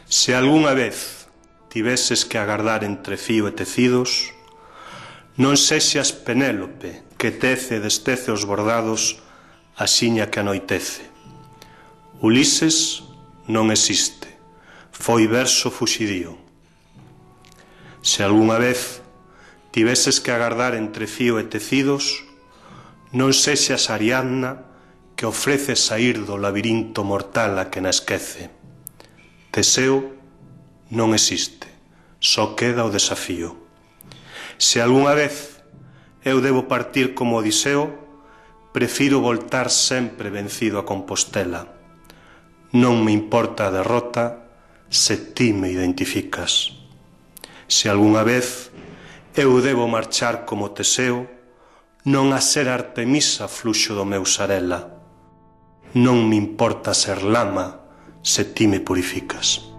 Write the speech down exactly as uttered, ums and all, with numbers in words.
Se algunha vez tiveses que agardar entre fío e tecidos, non sexas Penélope que tece e destece os bordados axiña que anoitece. Ulises non existe, foi verso fuxidío. Se algunha vez tiveses que agardar entre fío e tecidos, non sexas Ariadna que ofrece saír do labirinto mortal a que na esquece. Teseo non existe, só queda o desafío. Se algunha vez eu debo partir como Odiseo, prefiro voltar sempre vencido a Compostela. Non me importa a derrota se ti me identificas. Se algunha vez eu debo marchar como Teseo, non a ser Artemisa fluxo do meu sarela. Non me importa ser lama se ti me purificas.